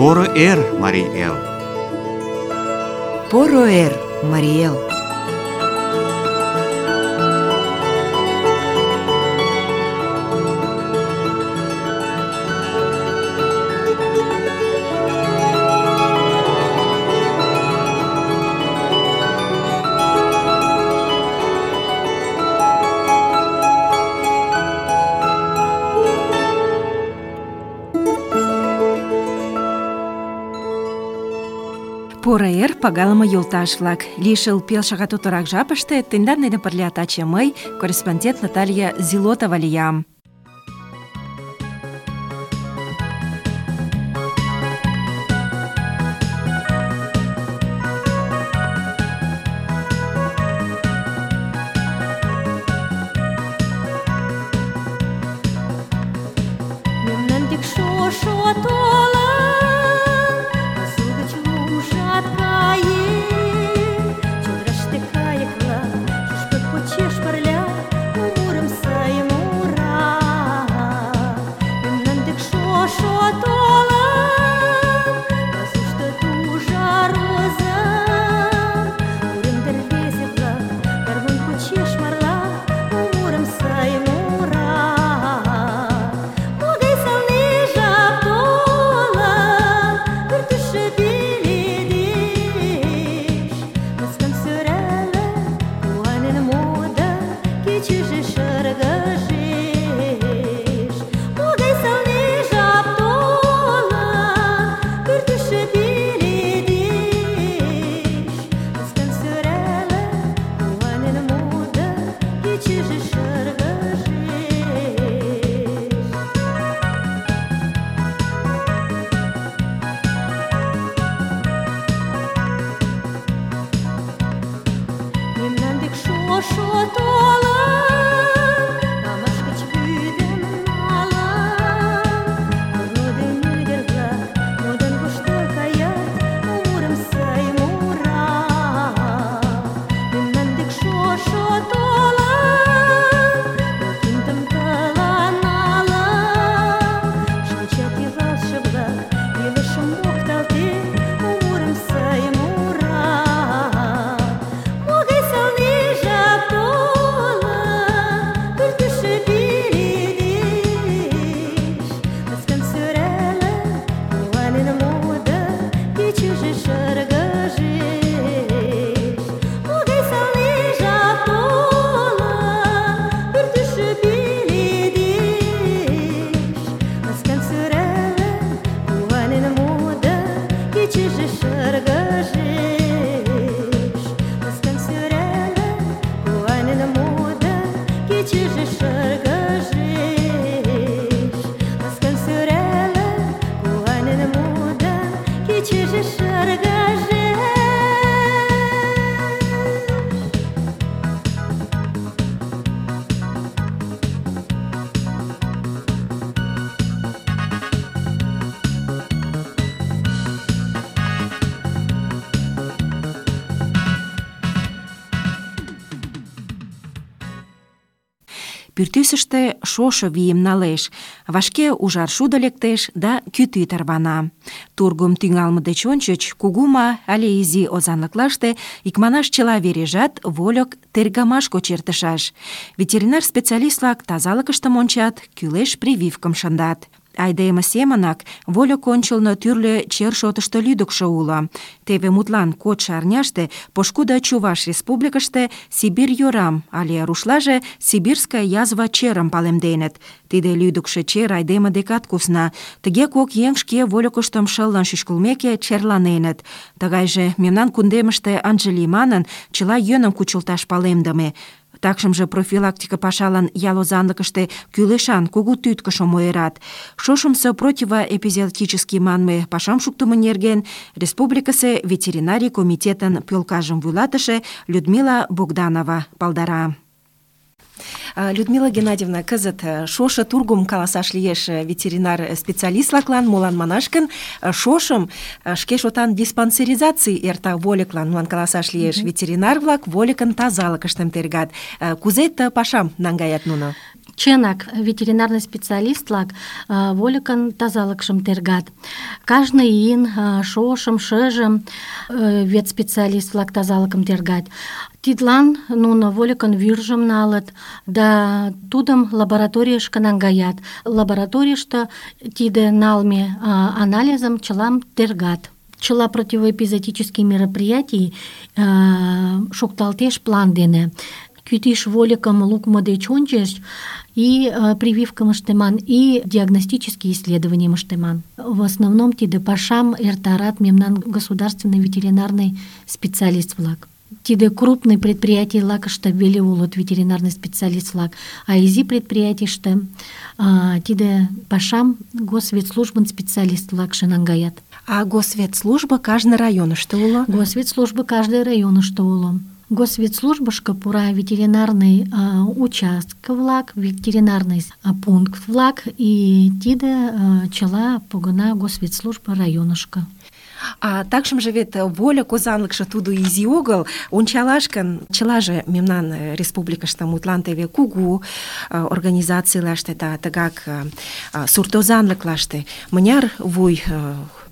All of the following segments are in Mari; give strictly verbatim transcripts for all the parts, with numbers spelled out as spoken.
Поро эр, Марий Эл! Поро эр, Марий Эл! Поро эр, пагалыме йолташ-влак! Лишыл пел шагат уторак жапыште тендан дене пырля таче мый, корреспондент Наталья Зилотова лиям. Пӱртӱсыштӧ шошо вийым налеш, вашке ужар шудо лектеш да кӱтӱ тарвана. Тургым тӱҥалме деч ончыч кугу ма але изи озанлыклаште икманаш чыла вережат вольык тергамаш гоч эртышаш. Ветеринар специалист-влак тазалыкыштым ончат, кӱлеш прививкым шындат. Айдеме семынак вольык ончылно тӱрлӧ чер шотышто лӱдыкшӧ уло. Теве мутлан кодшо арняште пошкудо Чуваш республикыште Сибирь йорам але рушлаже сибирская язва черым палемденыт. Тиде лӱдыкшӧ чер айдеме декат кусна. Тыге кок еҥ шке вольыкыштым шылын шӱшкылмеке черланеныт. Тыгайже мемнан кундемыште ынже лий манын, чыла йӧным кучылташ палемдыме. Такшымже профилактика пашалан ял озанлыкыште кӱлешан кугу тӱткышым ойырат. Шошымсо противоэпизоотический манме пашам шуктымо нерген республикысе ветеринарий комитетын пӧлкажым вуйлатыше Людмила Богданова палдара. Людмила Геннадьевна, кызыт шошо тургым каласаш лиеш ветеринар специалист-влаклан, молан манаш гын, шошым шке шотан диспансеризаций эрта вольыклан, молан каласаш лиеш. Ветеринар-влак вольыкын тазалыкыштым тергат. Кузе ты пашам наҥгаят нуно? Чынак, ветеринарный специалист-влак а, вольыкын тазалыкшым тергат. Кажне ийын а, шошым, шыжым а, ветспециалист-влак тазалыкым тергат. Тидлан нуно вольыкын вӱржым налыт да тудым лабораторийышке наҥгаят. Лабораторийыште тиде налме а, анализым чылам тергат. Чыла противоэпизотический мероприятий а, шукталтеш план дене. Кӱтӱш вольыкым лукмо деч ончыч и э, прививкым ыштыман, и диагностический исследованийым ыштыман. В основном тиде пашам эртарат мемнан государственный ветеринарный специалист-влак. Тиде крупный предприятий-влакыште веле улыт ветеринарный специалист-влак, а изи предприятийыште э, тиде пашам госветслужбын специалист-влакше наҥгаят. А госветслужба кажне районышто уло? Госветслужба каждый районышто уло. Госветслужбышко пура ветеринарный а, участок-влак, ветеринарный а, пункт-влак, и тиде а, чыла погына госветслужба районышко. А такшым же вет вольык озанлыкше тудо изи огыл, ончалаш гын, чылаже мемнан республикыште мутлан теве кугу организацийлаште да тыгак суртозанлыклаште мыняр вуй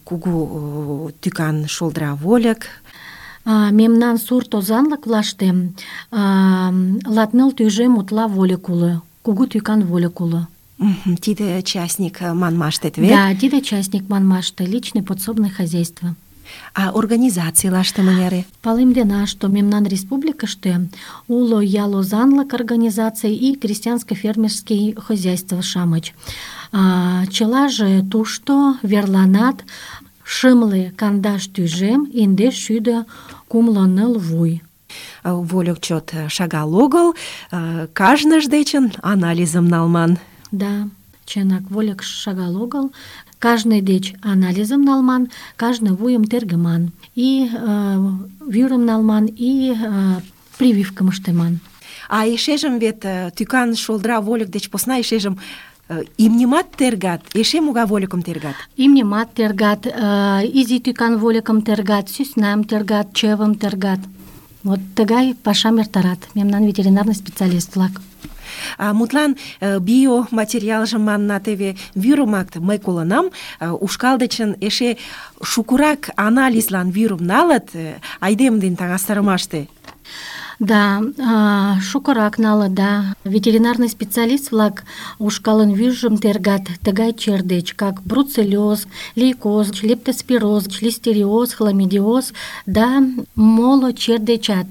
кугу тӱкан шолдра вольык. А, мемнан сурт озанлыклаште латныл тӱжем утла вольык уло, кугу тӱкан вольык уло. Тиде частник манмаштет вет? Да, тиде частник манмаште, личный подсобное хозяйство. А организацийлаште мыняре? Палемдена, что мемнан республикыште уло ял озанлык организаций и крестьянско-фермерский хозяйство-шамыч. А, чылаже тушто верланат шымле кандаш тӱжем индеш шӱдӧ кумло ныл вуй. Вольык чот шагал огыл, кажныж дечын анализым налман. Да, чынак, вольык шагал огыл, кажне деч анализым налман, кажне вуйым тергыман, и э, вӱрым налман, и э, прививкым ыштыман. А эшежым вет тӱкан шолдра вольык деч посна эшежым имньымат тергат, эше могай вольыкым тергат? Имньымат тергат, э, изи тӱкан вольыкым тергат, сӧснам тергат, чывым тергат. Вот тыгай пашам эртарат мемнан ветеринарный специалист-влак. А, мутлан биоматериалжым манна теве вӱрымак мый колынам, ушкал дечын эше шукурак анализлан вӱрым налыт айдем ден таҥастарымаште. Да, шукырак налыт, да. Ветеринарный специалист-влак ушкалын вӱржым тергат тыгай чер деч, как бруцеллез, лейкоз, лептоспироз, листериоз, хламидиоз, да моло чер дечат.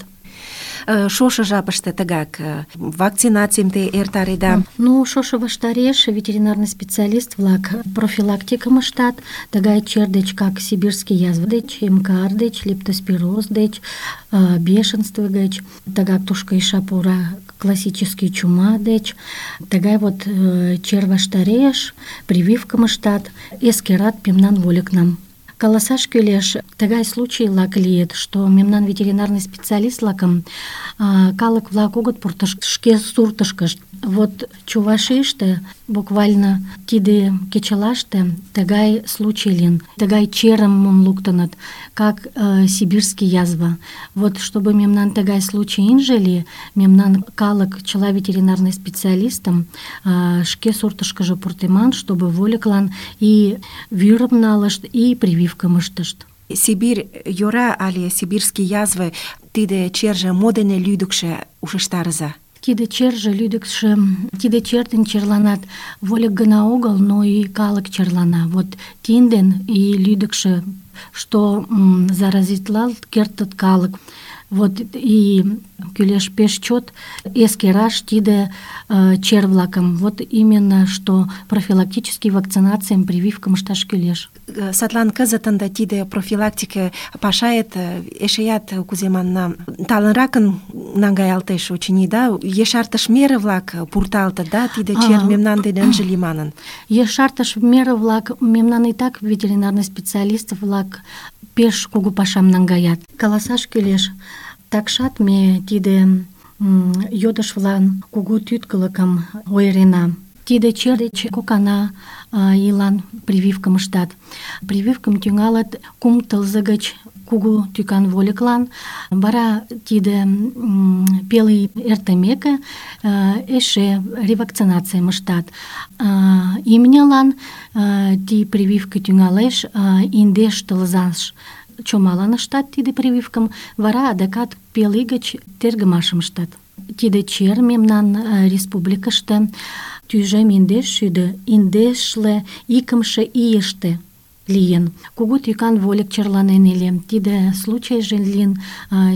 Шошо жапыште тыгак вакцинацийым те эртареда? Ну, шошо ваштареш ветеринарный специалист-влак профилактикым ыштат, тыгай чер деч, как сибирский язва деч, МКР деч, лептоспироз деч, бешенство деч, тыгак тушко иша пура классический чума деч, тыгай вот чер ваштареш прививкым ыштат, эскерат мемнан вольыкнам. Каласаш кӱлеш, тыгай случай-влак лийыт, что мемнан ветеринарный специалист-влакым калык-влак огыт пуртышт шке суртышкышт. Вот Чувашийыште буквально тиде кечылаште тыгай случай лийын, тыгай черым мом луктыныт, как э, сибирский язва. Вот чтобы мемнан тыгай случай инже ли, мемнан калык чыла ветеринарный специалистым э, шке суртышкыжо пуртыман, чтобы вольыклан и вӱрым налышт, и прививкым ыштышт. Сибирь йора але сибирский язвы тиде черже мо дене лӱдыкшӧ ушештарыза? Тиде черже лӱдыкшӧ, тиде чер ден черланат вольык гына огыл, но и калык черлана. Вот тин ден и лӱдыкшӧ, что м, заразитлалт кертыт калык. Вот и кӱлеш пеш чот эскераш тиде э, чер-влакым. Вот именно, что профилактический вакцинацийым, прививкым ышташ кӱлеш. Садлан кызыт ынде тиде профилактика пашает эшеят, кузе манна, талынракын наҥгаялтеш, очыни, да? Ешартыш мере-влак пурталтыт, да, тиде чер мемнан дене ынже лий манын. Ешартыш мере-влак мемнан и так ветеринарный специалист-влак пеш кугу пашам наҥгаят. Каласаш кӱлеш, такшат ме тиде йодыш-влан кугу тӱткылыкым ойырена. Тиде чер деч кокана ийлан прививкым ыштат. Прививкым тӱҥалыт кум тылзе гыч кугу тӱкан вольыклан. Вара тиде пел ий эртымеке эше ревакцинацийым ыштат. Имньылан ти прививка тӱҥалеш индеш тылзаш чомалан ыштат тиде прививкым, вара адакат пел ий гыч тергымашым ыштат. Тиде чер мемнан республикыште тӱжем индеш шӱдӧ индешле икымше ийыште лийын. Кугу тӱкан вольык черланен ыле. Тиде случайже лийын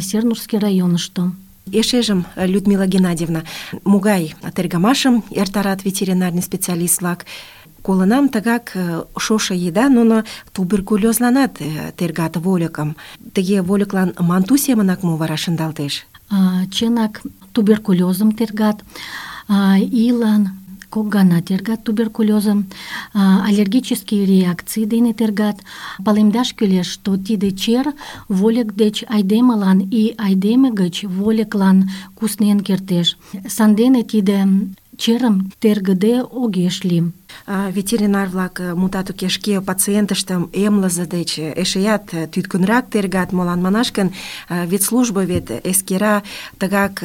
Сернурский районышто. Эшежым, Людмила Геннадьевна, могай тергымашым эртарат ветеринарный специалист-влак? Колынам, тыгак шошо еда нуно туберкулёзланат тергат вольыкым. Тыге вольыклан манту семынак мо вара шындалтеш? Чынак, туберкулёзым тергат, ийлан кок гана тергат туберкулёзым, аллергический реакций дене тергат. Палемдаш кӱлеш, что тиде чер вольык деч айдемылан и айдеме гыч вольыклан куснен кертеш. Сандене тиде черым тергыде огеш лий. Ветеринар-влак мутат уке шке пациентыштым эмлызе деч эшеят тӱткынрак тергат, молан манаш гын, ветслужба вет эскера тыгак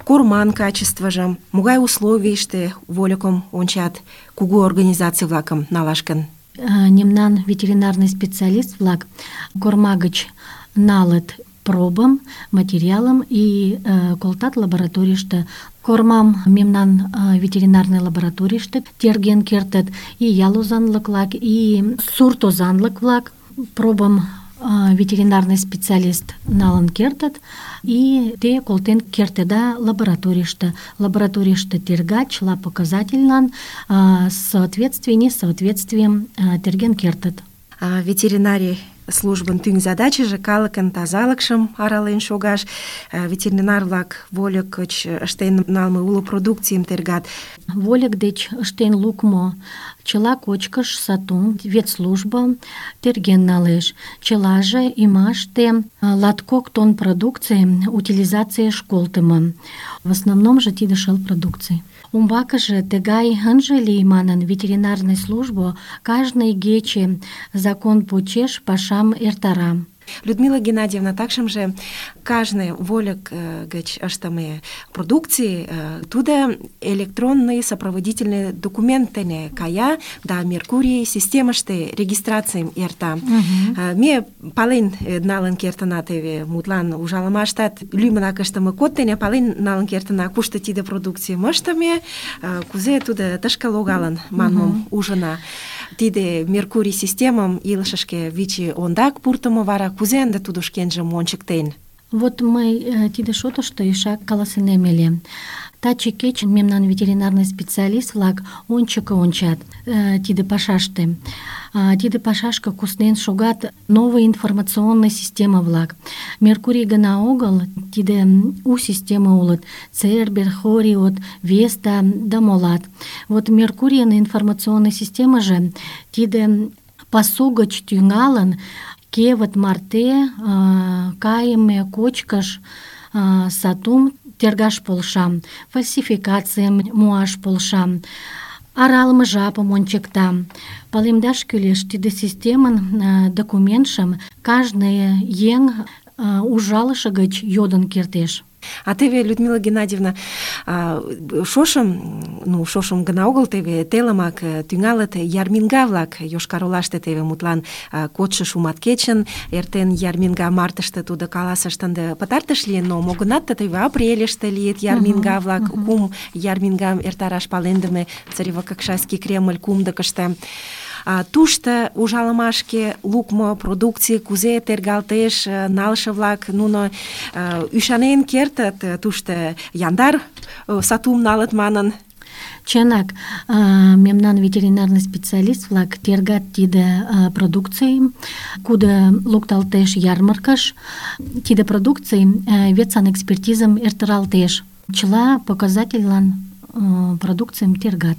корман качествыжым, могай условийыште вольыкым ончат, кугу организаций-влакым налаш гын. Мемнан ветеринарный специалист-влак корма гыч налыт пробым, материалым и э, колтат лабораторийыште. Кормам мемнан э, ветеринарный лабораторийыште терген кертыт и ял озанлык-влак, и сурт озанлык-влак. Пробым э, ветеринарный специалист налын кертыт и те колтен кертеда лабораторийыште. Лабораторийыште тергат, чыла показательлан э, соответствие, несоответствием э, терген кертыт. Ветеринарий службын тӱҥ задачыже калыкын тазалыкшым арален шогаш, ветеринар-влак вольык гыч ыштен налме уло продукцийым тергат. Вольык деч ыштен лукмо чыла кочкыш сатум ветслужба терген налеш. Чылаже ӱмаште латкок тонн продукций утилизацийыш колтымо. В основном же тиде шыл продукций. Умбакыже тыгай ынже лий манын ветеринарный службо кажне игече закон почеш пашам эртара. Людмила Геннадьевна, такшымже кажне вольык гыч ыштыме продукций тудо электронный сопроводительный документ дене кая да Меркурий системыште регистрацийым эрта. Uh-huh. Ме пален налын кертына теве мутлан ужалымаштат лӱмынак ыштыме код дене пален налын кертына, кушто тиде продукцийым ыштыме, кузе тудо тышке логалын манмым uh-huh. ужына. Тиде Меркурий системым илышышке вичи ондак пуртымо, вара кузе ынде тудо шкенжым ончыктен? Вот мый тиде шотышто ишак каласынем ыле. Таче кечын мемнан ветеринарный специалист-влак ончыко ончат тиде пашаште. Тиде пашашке куснен шогат новый информационный система-влак. Меркурий гына огыл, тиде у система улыт. Цербер, Хориот, Веста да молат. Вот Меркурийын информационный системаже тиде пасу гыч тӱҥалын кевыт марте э, кайыме кочкыш э, сатум тергаш полша, фальсификацийым муаш полша, аралыме жапым ончыкта. Палемдаш кӱлеш, тиде системын э, документшым кажне еҥ э, ужалыше гыч йодын кертеш. А теве, Людмила Геннадьевна, шошым, ну, шошым гына огыл, теве телымак тӱҥалыт ярминга-влак Йошкар-Олаште, теве мутлан кодшо шумат кечын эртен ярминга, мартыште тудо каласышт ынде пытартыш лийын, но мо-гынат теве апрельыште лийыт ярминга-влак, uh-huh, uh-huh. кум ярмингам эртараш палемдыме Царево-Кокшайский Кремль кумдыкыште. Тушто ужалымашке лукмо продукций кузе тергалтеш, налше-влак нуно ӱшанен кертыт, тушто яндар сатум налыт манын. Чынак, мемнан ветеринарный специалист-влак тергат тиде продукцийым, кудо лукталтеш ярмаркыш. Тиде продукций ветсанэкспертизым эртаралтеш. Чыла показательлан продукцийым тергат.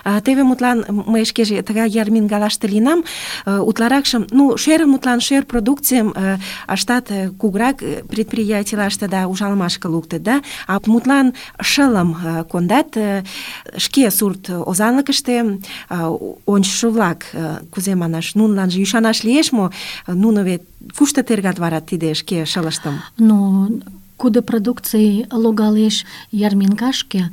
А, теве мутлан мый шкеже тыгай ярмингалаште лийынам, утларакшым, ну, шӧр мутлан шӧр продукцийым ыштат кугурак предприятийлаште да ужалымашке луктыт, да, а мутлан шылым кондат шке сурт озанлыкыште ончышо-влак, кузе манаш, нуныланже ӱшанаш лиеш мо, нуно вет кушто тергат вара тиде шке шылыштым? Ну, кудо продукций логалеш ярминкашке,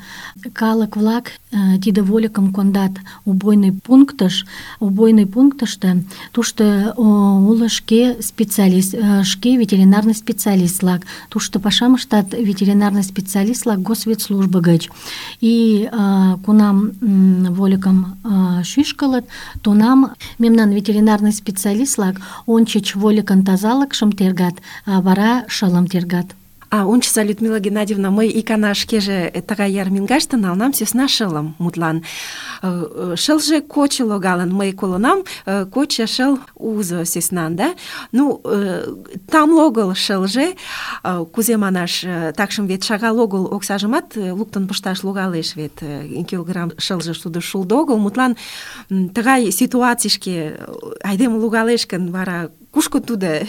калык-влак э, тиде вольыкым кондат убойный пунктыш, убойный пунктыште, тушто уло шке специалист, э, шке ветеринарный специалист-влак, тушто пашам ыштат ветеринарный специалист-влак госветслужбо гыч. И э, кунам э, вольыкым э, шӱшкылыт, тунам мемнан ветеринарный специалист-влак ончыч вольыкын тазалыкшым тергат, а вара шылым тергат. А, ончыза, Людмила Геннадьевна, мый икана шкеже тыгай ярмингаште налынам сӧсна шылым, мутлан. Шылже кочо логалын, мый колынам, кочо шыл узо сӧснан, да? Ну, тамле огыл шылже, кузе манаш, такшым вет шагал огыл оксажымат луктын пышташ логалеш, вет килограмм шылже тудо шулдо огыл, мутлан тыгай ситуацийышке айдеме логалеш гын, вара кушко тудо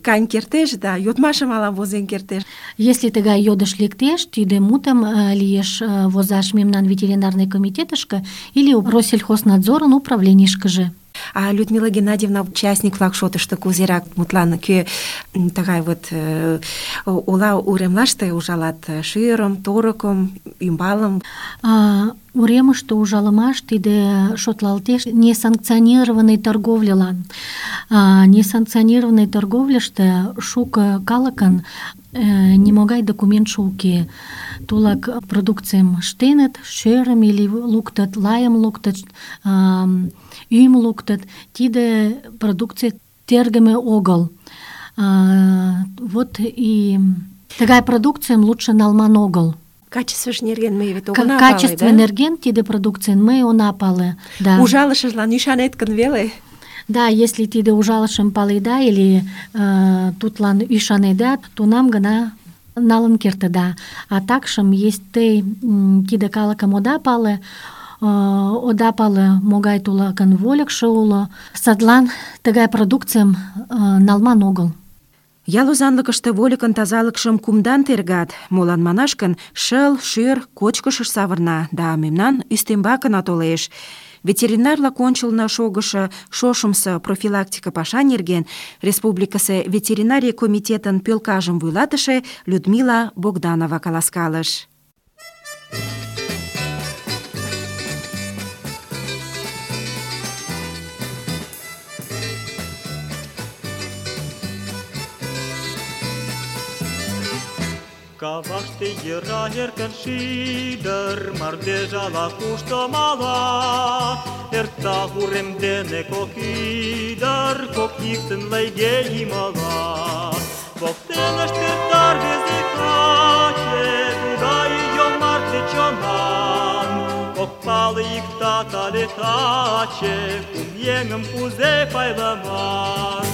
каен кертеш да йодмашым ала возен кертеш. Если тыгай йодыш лектеш, тиде мутым лиеш возаш мемнан ветеринарный комитетышке или Россельхознадзорын управленийышкыже. А Людмила Геннадьевна, участник-влак шотышто кузерак мутлан кӧ тыгай вот ола уремлаште ужалат шӱрым, торыкым, ӱмбалым? Уремыште ужалымаш тиде шотлалтеш несанкционированный торговлялан. Несанкционированный торговляште шуко калыкын нимогай документше уке. Тулак продукцийым ыштеныт, шӧрым или луктыт, лайым луктыт, ӱйым луктыт. Тиде продукций тергыме огыл. Вот и тыгай продукцийым лучше налман огыл. Качествыш нерген ме вет огына пале, да? Качестве нерген тиде продукцийын ме она пале. Да. Ужалышыжлан ӱшанет гын веле? Да, если тиде ужалышым паледа или э, тутлан ӱшанеда, тунам гына налын кертыда. А такшым, если те тиде калыкым ода пале, э, ода пале могай тулакын вольыкшо уло, садлан тыгай продукцийым э, налман огыл. Ял озанлыкыште вольыкын тазалыкшым кумдан тергат, молан манаш гын, шыл, шӧр кочкышыш савырна, да мемнан ӱстембакына толеш. Ветеринарлак ончылно шогышо шошымсо профилактика паша нерген республикысе ветеринарий комитетын пӧлкажым вуйлатыше Людмила Богданова каласкалыш. Каваште йыра эркын шӱдыр, мардеж ала-кушто мала. Эрта урем дене кок ӱдыр, кок йӱксын лыйге йымала. Воктенышт эрта рвезе каче, тугай йомартле чонан. Ок пале иктат але таче, кум еҥым кузе пайлыман.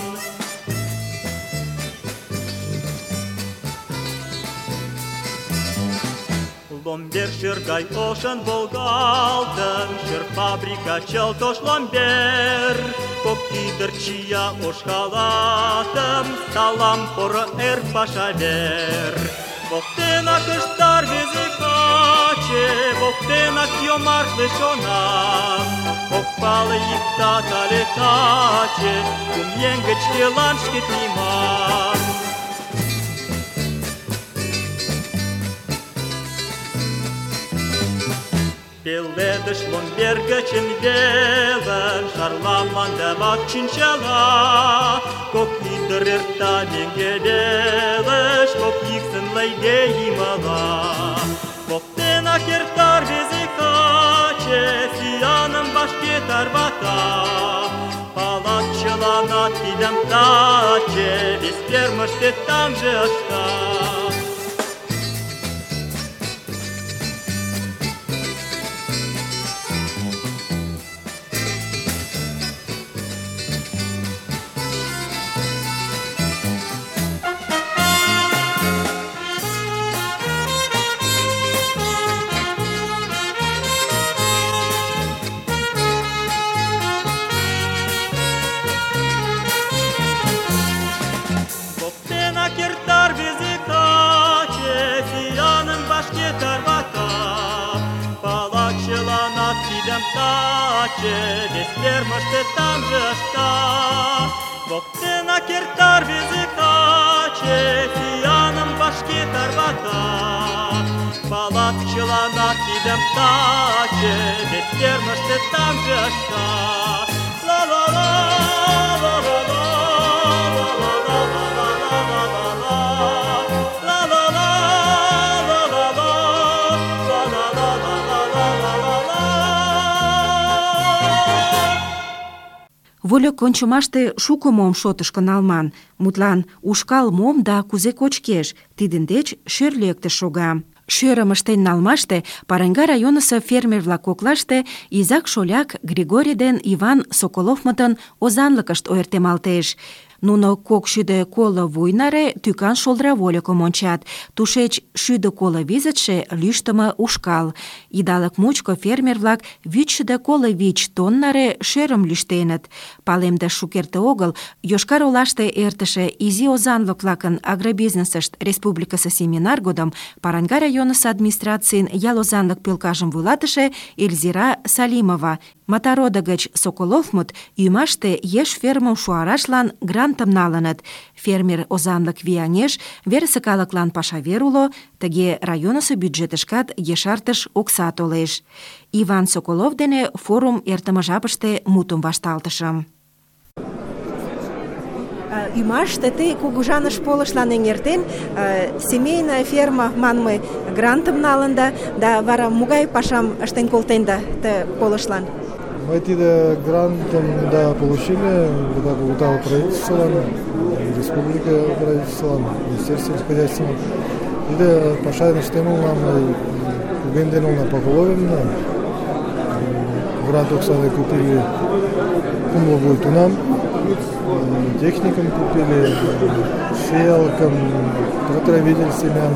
Ломбер шӧр гай ошын волгалтын, шӧр фабрика чылт ош ломбер. Кок ӱдыр чия ош халатым, салам поро эр паша вер. Воктенак ышта рвезе каче, воктенак йомартле чонан. Ок пале иктат але таче, кум еҥ гыч кӧлан шкет ниман. Пеледыш ломбер гычын велын, шарла мландымак чинчала. Кок ӱдыр эрта меҥгедылыш, кок йӱксын лыйге йымала. Воктенак эрта рвезе каче, сӱаным вашке тарвата. Палат чыланат тидым таче, вес фермыште тамже ышта. вашке тарвата. Палат чыланат тидым таче, вес фермыште тамже ышта. Воктенак эрта рвезе каче, сӱаным вашке тарвата. Палат чыланат тидым таче, вес фермыште тамже ышта. Ла-ла-ла, ла-ла-ла, Вольык ончымаште шуко мом шотышко налман. Мутлан, ушкал мом да кузе кочкеш, тидын деч шӧр лектыш шога. Шӧрым ыштен налмаште Паранга районысо фермер-влак коклаште изак-шоляк Григорий ден Иван Соколовмытын озанлыкышт ойыртемалтеш. Нуно кок шӱдӧ коло вуй наре тӱкан шолдыра вольыкым ончат. Тушеч шӱдӧ коло визытше лӱштымӧ ушкал. Идалык мучко фермер-влак вичшӱдӧ коло вич тонн наре шӧрым лӱштеныт. Палемдыш шукерте огыл Йошкар-Олаште эртыше изи озанлык-влакын агробизнесышт республикысе семинар годым Паранга районысо администрацийын ял озанлык пӧлкажым вуйлатыше Эльзира Салимова Матарода гыч Соколовмыт ӱмаште еш фермым шуарашлан грантым налыныт. Фермер озанлык вияҥеш, верысе калыклан пашавер уло, тыге районысо бюджетышкат ешартыш окса толеш. Иван Соколов дене форум эртыме жапыште мутым вашталтышым. Ӱмаште тый кугыжаныш полышлан эҥертен, семейная ферма манме грантым налында, да вара могай пашам ыштен колтенда ты полышлан? Мы тиде грантом, да, получили, когда получало правительство, республика правительство, министерство сельскохозяйственного. Тиде пашайны штемыл нам угенденул на поголовенно. Грант оксаны купили кумло будет у нам, техникам купили, сеялкам, тракторовидель семян,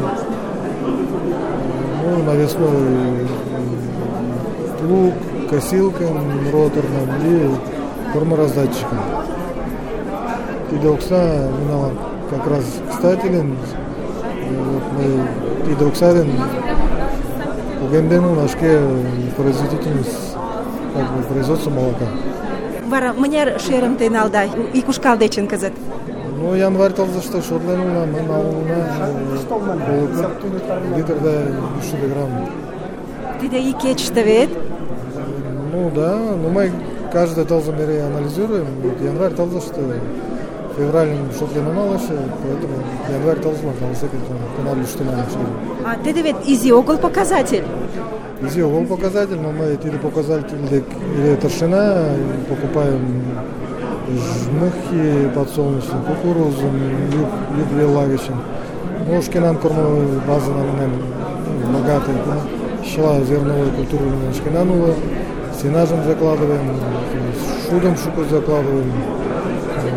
ну, навесной плуг, косилкам роторным и кормораздатчикам. Тиде окса минала как раз кстателен, вот мы тиде оксаден угендену нашке производительность, как бы, производство молока. Вара мыняр шӧрым тый налда ик ушкал дечын кызыт? Ну, январь тылзыште шотленуна, мы налуна литрда шӱдӧ грамм. Тиде ик кечыште вет? Ну да, но мы каждый тылзым мере анализируем. Вот январь тылзыште февральным шотлен налышы, поэтому январь тылзылан калысек канал лӱштенам. А тиде вет изи огыл показатель? Изи огыл показатель, но мы тиде показатель или торшина покупаем жмыхи подсолнечные, кукурузу, юг лагочин. Ну, шкенан кормовой базы нам богатые, щела зерновой культуры шкенанула, сенажем закладываем, шудом шуку закладываем,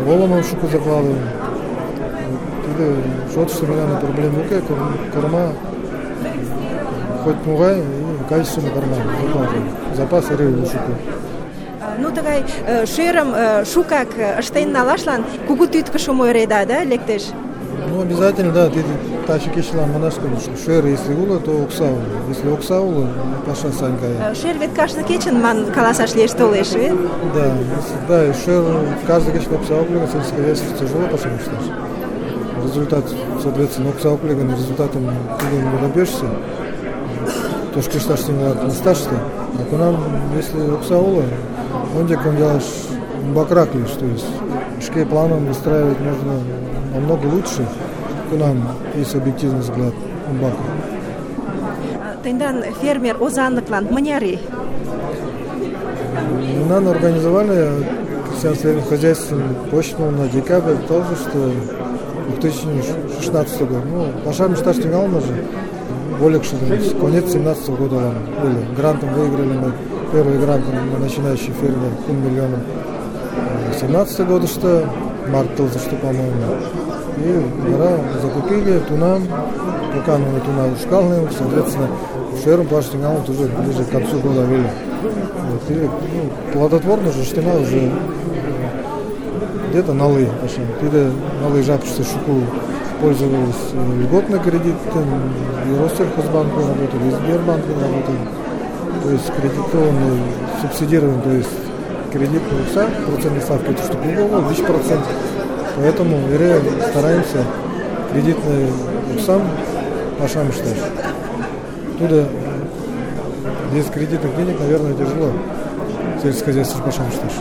воломом шуку закладываем. Тиде шот что меня на проблему корма хоть мугай и качественный корма закладываем. Запас рыбы шуку. Ну, тыгай шӧрым шукак ыштен налашлан кугу тӱткышым ойыреда, да, лектеш? Ну, обязательно, да, ты таче кечлан манаш, конечно. Шӧр, если уло, то окса уло. Если окса уло, паша санькая. Шӧр вет кажне кечын ман каласаш лиеш толеш, вет? Да, да, и шӧр каждый кечын окса уклеган, сельскохозяйство тяжело паша мечтаешь. Результат, соответственно, окса уклеган, результатом ты не добьешься. То, что кешташ не сташься. А к нам, если окса уло, он где делаешь бакрак лишь, то есть шке планом выстраивать можно намного лучше, к нам, есть объективный взгляд, бака. Тендан фермер озанлыклан мыняр ий? Нам организовали крестьянское хозяйство почту на декабрь, тоже, что две тысячи шестнадцатый год. Ну, пошарим штат стенгал же, более что конец семнадцатого года были. Грантом выиграли мы, первый грант на начинающий фермер, полмиллиона. семнадцатый год, что март тоже, что, по-моему. И гора закупили тунам, пока мы туна ушкалны, соответственно, ферм паштингал уже ближе к концу года вели. Вот, и, ну, плодотворно же штина уже где-то налы, пошли. Ты налы жапшься шуку пользовались льготным кредитом, и Россельхозбанк работали, и Сбербанк работали. То есть кредитованный, субсидированный, то есть кредит вся процентной ставки, это что другого, десять процентов. Поэтому мы стараемся кредитный сам пашам считать. Туда без кредитных денег, наверное, тяжело сельскохозяйственным пашам считать.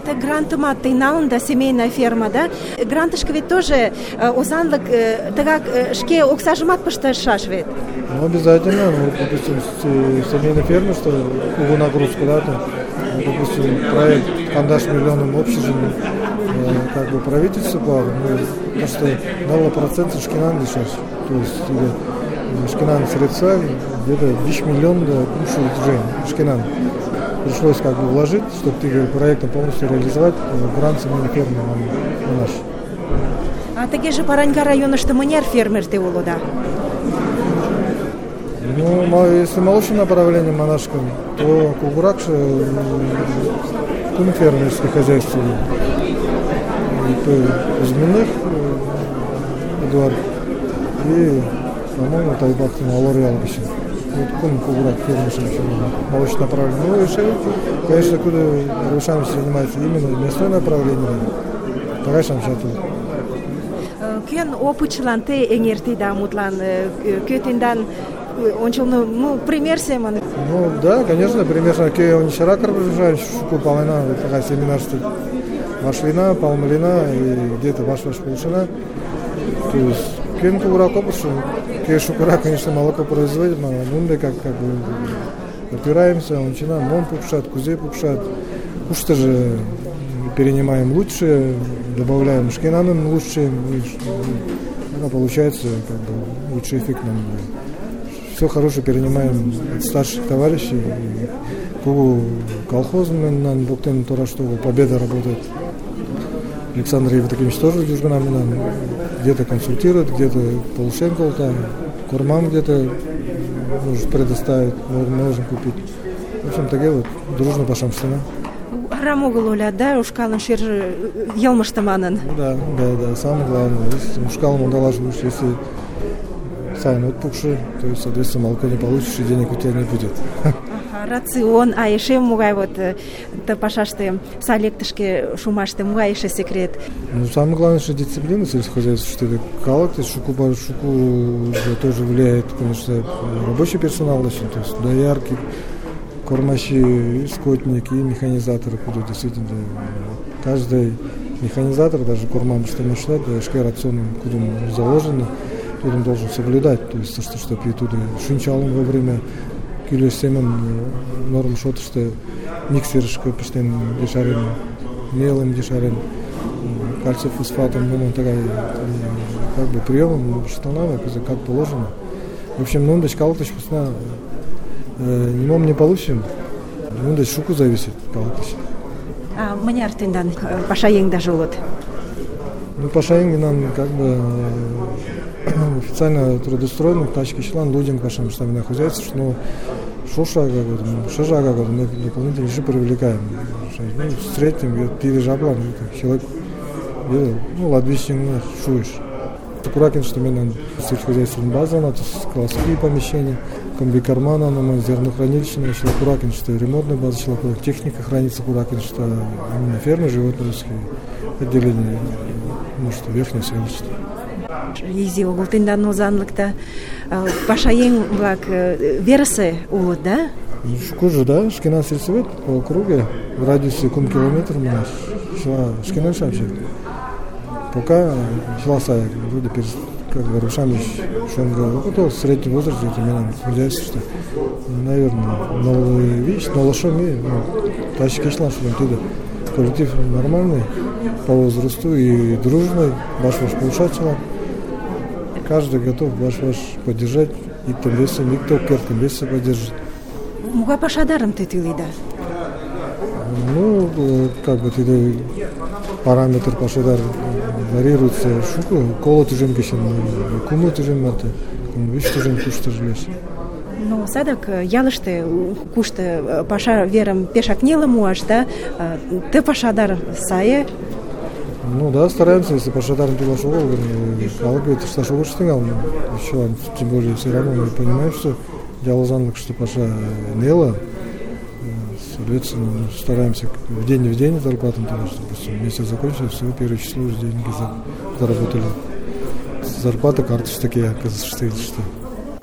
Ты грантыма ты налында семейная ферма, да? Грантышка ведь тоже озанлык, ты как шке оксажимат пышташаш ведь? Ну, обязательно. Ну, допустим, семейная ферма, что угу нагрузку, да, там, ну, допустим, проект «Кандаш миллионным общежитием», э, как бы правительство плавает, ну, то, что дало проценты шкинан лишать. То есть тебе шкинан средства где-то десять миллионов да, уже шкинан. Пришлось как бы вложить, чтобы ты проектом полностью реализовать грант семейной фермы на, на наш. А таки же Параньга района, что манер фермер ты улода? Ну, если молочное направление монашкам, то Кугуракша кум фермерское хозяйство. И Змеиных Эдуард и, по-моему, Тайбак Алореал еще. Вот кум Кугурак фермерское молочное направление. Ну, решили, конечно, куда Рушам занимается именно мясное направление. Тогда сам сейчас тут. Кен опычлан ты эңерти да мутлан көтиндан ончылны, ну, пример семан. Ну, да, конечно, примерно, ке он вчера карбажаешь, шуку полина, такая семинарство, машлина, палмалина и где-то ваш-ваш полшина. То есть, кен кугурак опышу, ке шукура, конечно, молоко производит, но мы как, как бы опираемся, он начинаем, мон пукшат, кузе пукшат, уж-то же перенимаем лучше, добавляем шкинаном лучше, и получается как бы лучший эффект нам. Все хорошее перенимаем от старших товарищей. Кугу колхозным нам буктен то, что Победа работает. Александр Евдокимович тоже дюжганами нам где-то консультирует, где-то Полушенко там, Курмам где-то может предоставить, можем купить. В общем, так вот, дружно пашам стена. Рамогул оля, да, ушкалын шер елмыштаманын. Да, да, да, самое главное. Если ушкалым удалаживаешь, если сами отпухший, то есть, соответственно, молоко не получишь, и денег у тебя не будет. Ага, рацион, а еще мугай вот, ты пашашты, салектышки шумашты, мугай еще секрет. Ну, самое главное, что дисциплина сельскохозяйства, что это калак, то есть шуку, шуку тоже влияет, конечно, рабочий персонал, то есть доярки, кормачи, скотники и механизаторы, куда действительно каждый механизатор, даже кормам, что мы считаем, да, шкер рационом, куда заложено, туда он должен соблюдать, то есть что, что и туда шинчалом во время кило семен норм что-то, что миксершка постоянно дешарен, мелом дешарен, кальций фосфатом, ну, он такая, как бы приемом, что надо, как положено. В общем, ну, дочкал то вкусно. Не мом не получим, ну да шуку зависит, калатыш. А мне артендан пашаең даже вот. Ну пашаең нам как бы официально трудоустроенных тачки член людям пашам штабное хозяйство, но шоша как вот, шажа как вот, мы дополнительно еще привлекаем. Ну в среднем пиви жабла, человек, ну ладвищен шуешь. Аккуратен, что мне надо сельскохозяйственная база, надо складские помещения, комбикармана, на зернохранилище, еще аккуратен, что ремонтная база, техника хранится аккуратен, что именно фермы, животноводческие отделения, может, верхнее селище. Изи огултындан озанлыкта пашаең влак версы улут, да? Ну, шукужу, да, шкинан сельсовет по округе, в радиусе кум километр у нас, шкинан шамчик. Пока шла сая, вроде как бы Рушам Шонга, ну, в среднем возрасте, это меня хозяйство, что, наверное, новая вещь, но лошами, тачки шла, что там туда. Коллектив нормальный по возрасту и дружный, ваш-ваш получатель. Каждый готов ваш-ваш поддержать, и тем весом, и кто тем весом поддержит. Муга пашадаром ты тылы, да? Ну, как бы ты параметр пашадар варьируется шуку, коло тужем кешен, куму тужем маты, виш тужем кушта жилеш. Ну, садак ялышты кушта паша верам пешак нела муаш, да? Ты пашадар сае? Ну да, стараемся, если пашадарный пилаш огыл, халык ведь ышташ огыл штыгал, тем более все равно мы понимаем, что жалозанлык, что паша нела, соответственно, стараемся в день в день зарплату, допустим, месяц закончился, все, первое число уже деньги заработали. Зарплата карточки такие, оказывается, что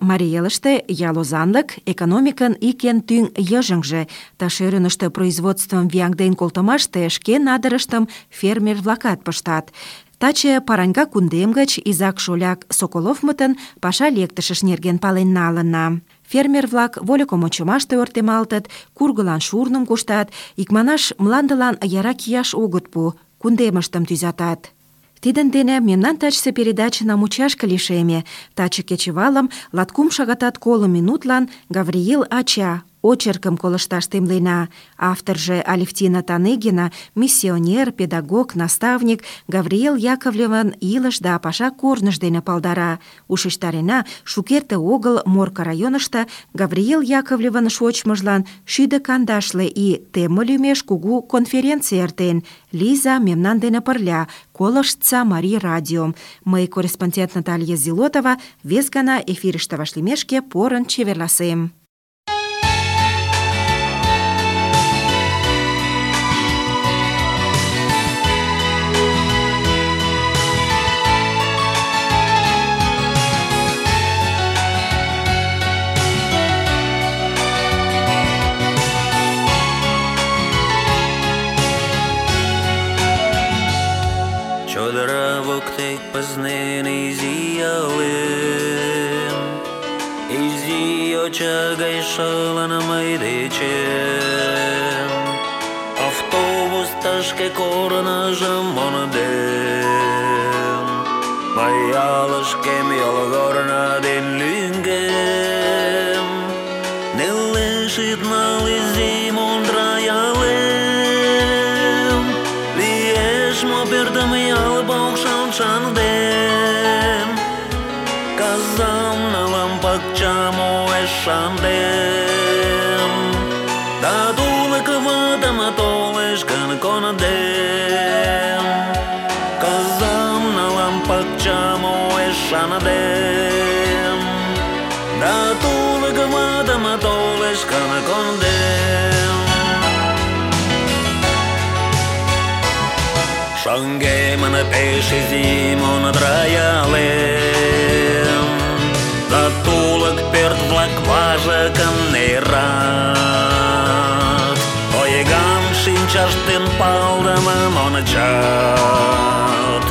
Марий ялозанлык экономикын ик эн тӱҥ йыжыҥже, ташерыныште производствым вияҥден колтымаште шке надырыштым фермер-влакат пыштат. Таче Параньга кундем гыч изак-шоляк Соколовмытын паша лектышыш нерген пален налынна. Фермер-влак вольыкым ончымаште ойыртемалтыт, кургылан шурным куштат, икманаш мландылан яра кияш огыт пу, кундемыштым тӱзатат. Тидын дене мемнан тачысе передачына мучашке лишеме. Таче кечывалым латкум шагатат коло минутлан Гавриил ача очеркым колышташ темлена. Авторже Алевтина Таныгина, миссионер, педагог, наставник Гавриил Яковлевын илыш да паша корныж дене палдара. Ушештарена, шукерте огыл Морко районышто Гавриил Яковлевын шочмыжлан шӱдӧ кандашле ий теме лӱмеш кугу конференций эртен. Лиза мемнан дене пырля, колыштса Марий радиом. Мый, корреспондент Наталья Зилотова, вес гана эфирыште вашлиймешке порын чеверласем. Чодыра воктек пызнен изи ялем, изи йоча гай шылын мый дечем. Автобус тышке корныжым мондем, мый ялышкем йолгорно ден лӱҥгем. Нелеш ит нал изи мундра ялем, лиеш мо пӧртым ял покшел шындем. Казам налам пакчам уэш шындем, да тулык ватым толеш гын кондем. Казам налам пакчам уэш шындем, да тулык ватым толеш гын кондем. Шаҥгемын пеш изи мундра ялем, да тулык пӧрт-влак важыкым нерат. Ойган шинчаштын палдымым ончат,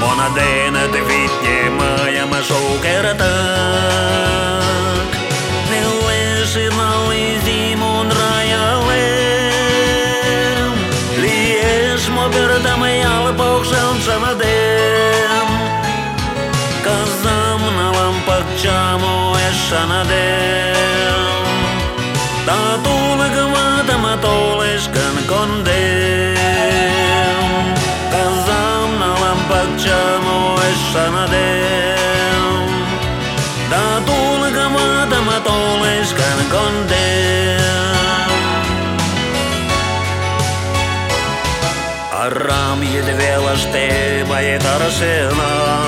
муно дене витне мыйым шукертак. Нелеш нал изи мундра ялем, лиеш мо пӧртым ял покшел шындем. Казам налам пакчам уэш шындем, да тулык ватым толеш гын кондем. Казам налам пакчам уэш шындем, да тулык ватым толеш гын кондем. Арам едвелыште мый таршенам,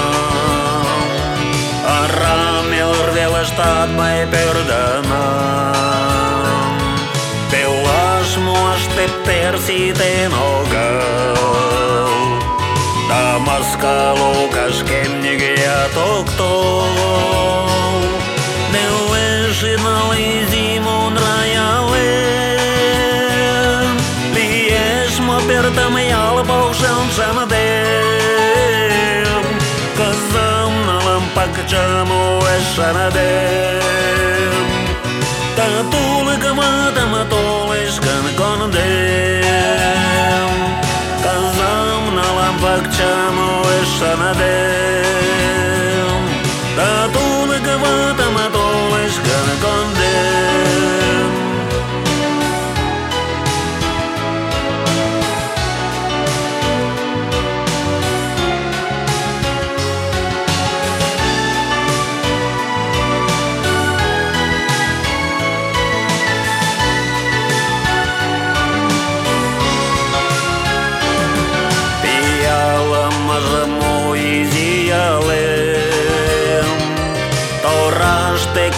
арам мелырвелыштат мый пӧрдынам. Пелаш муаш тептер ситен огыл, да маска лукашкем нигӧат ок тол. Нелеш нал изи мундра ялем, лиеш мо пӧртым ял покшел шындем. Казам налам пакчам уэш шындем, да тулык ватым толеш гын кондем. Казам налам пакчам уэш шындем, да тулык ватым толеш гын кондем.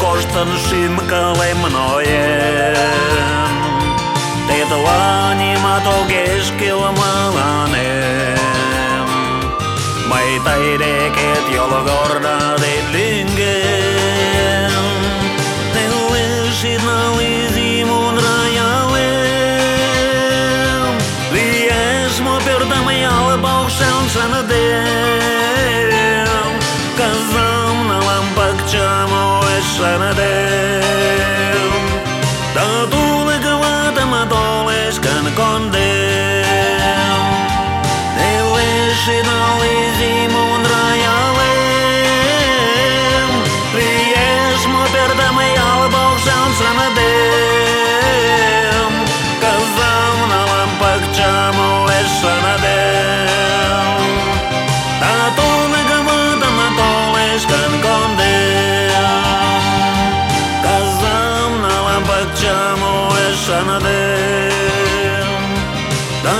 коштын шӱм-кылем ноен. Тетла нимат огеш кӱл мыланем. Мый тый декет йолгорно ден лӱҥгем. Нелеш ит нал изи мундра ялем. Лиеш мо пӧртым ял покшел шындем. Казам налам пакчам уэш шындем. Да тулык ватым толеш гын кондем. Нелеш ит нал изи мундра ялем. Лиеш мо пӧртым ял покшел шындем. Казам налам пакчам уэш шындем. Да тулык ватым толеш гын кондем. Казам налам пакчам уэш шындем. Да